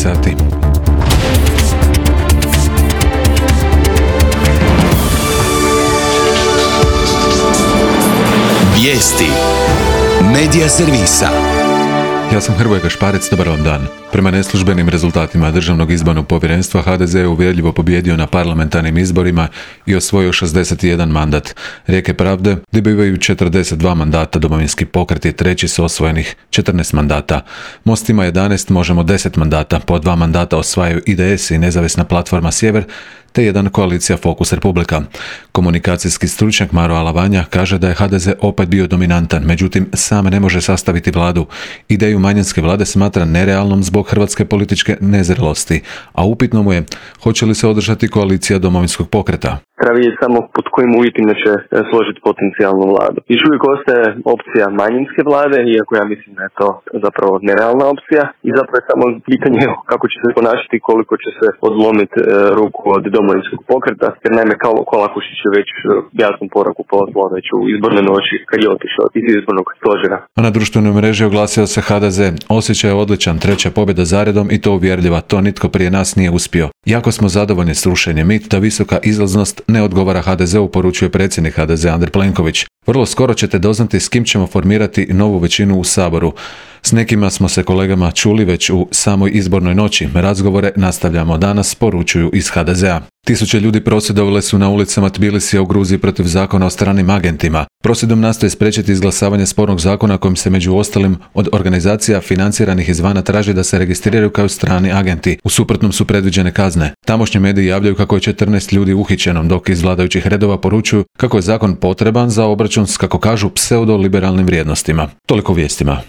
sati. Vijesti Medija servisa. Ja sam Hrvoje Gašparec, dobar vam dan. Prema neslužbenim rezultatima Državnog izbornog povjerenstva HDZ je uvjerljivo pobijedio na parlamentarnim izborima i osvojio 61 mandat. Rijeke pravde dobivaju 42 mandata, Domovinski pokret je treći s osvojenih 14 mandata. Most ima 11, Možemo 10 mandata, po 2 mandata osvajaju IDS i Nezavisna platforma Sjever, te jedan koalicija Fokus Republika. Komunikacijski stručnjak Maro Alavanja kaže da je HDZ opet bio dominantan, međutim sam ne može sastaviti vladu. Ideju manjinske vlade smatra nerealnom zbog hrvatske političke nezrelosti, a upitno mu je hoće li se održati koalicija Domovinskog pokreta. Treba vidjeti samo pod kojim uvjetima će složiti potencijalnu vladu. Još uvijek ostaje opcija manjinske vlade, iako ja mislim da je to zapravo nerealna opcija i zapravo je samo pitanje kako će se ponašati i koliko će se odlomiti ruku od Domovinskog pokreta, jer naime Kolakušić je već jasnu poruku poslao već u izbornoj noći kad je otišao iz izbornog stožera. A na društvenoj mreži oglasio se HDZ. Osjećaj je odličan, treća pobjeda zaredom i to uvjerljiva, to nitko prije nas nije uspio. Jako smo zadovoljni s rušenjem, mit da visoka izlaznost ne odgovara HDZ-u, poručuje predsjednik HDZ Andrej Plenković. Vrlo skoro ćete doznati s kim ćemo formirati novu većinu u Saboru. S nekima smo se kolegama čuli već u samoj izbornoj noći. Razgovore nastavljamo danas, poručuju iz HDZ-a. Tisuće ljudi prosvjedovale su na ulicama Tbilisija u Gruziji protiv zakona o stranim agentima. Prosvjedom nastoje spriječiti izglasavanje spornog zakona kojim se među ostalim od organizacija financiranih izvana traži da se registriraju kao strani agenti. U suprotnom su predviđene kazne. Tamošnji mediji javljaju kako je 14 ljudi uhićeno, dok iz vladajućih redova poručuju kako je zakon potreban za obračun s, kako kažu, pseudoliberalnim vrijednostima. Toliko vijestima.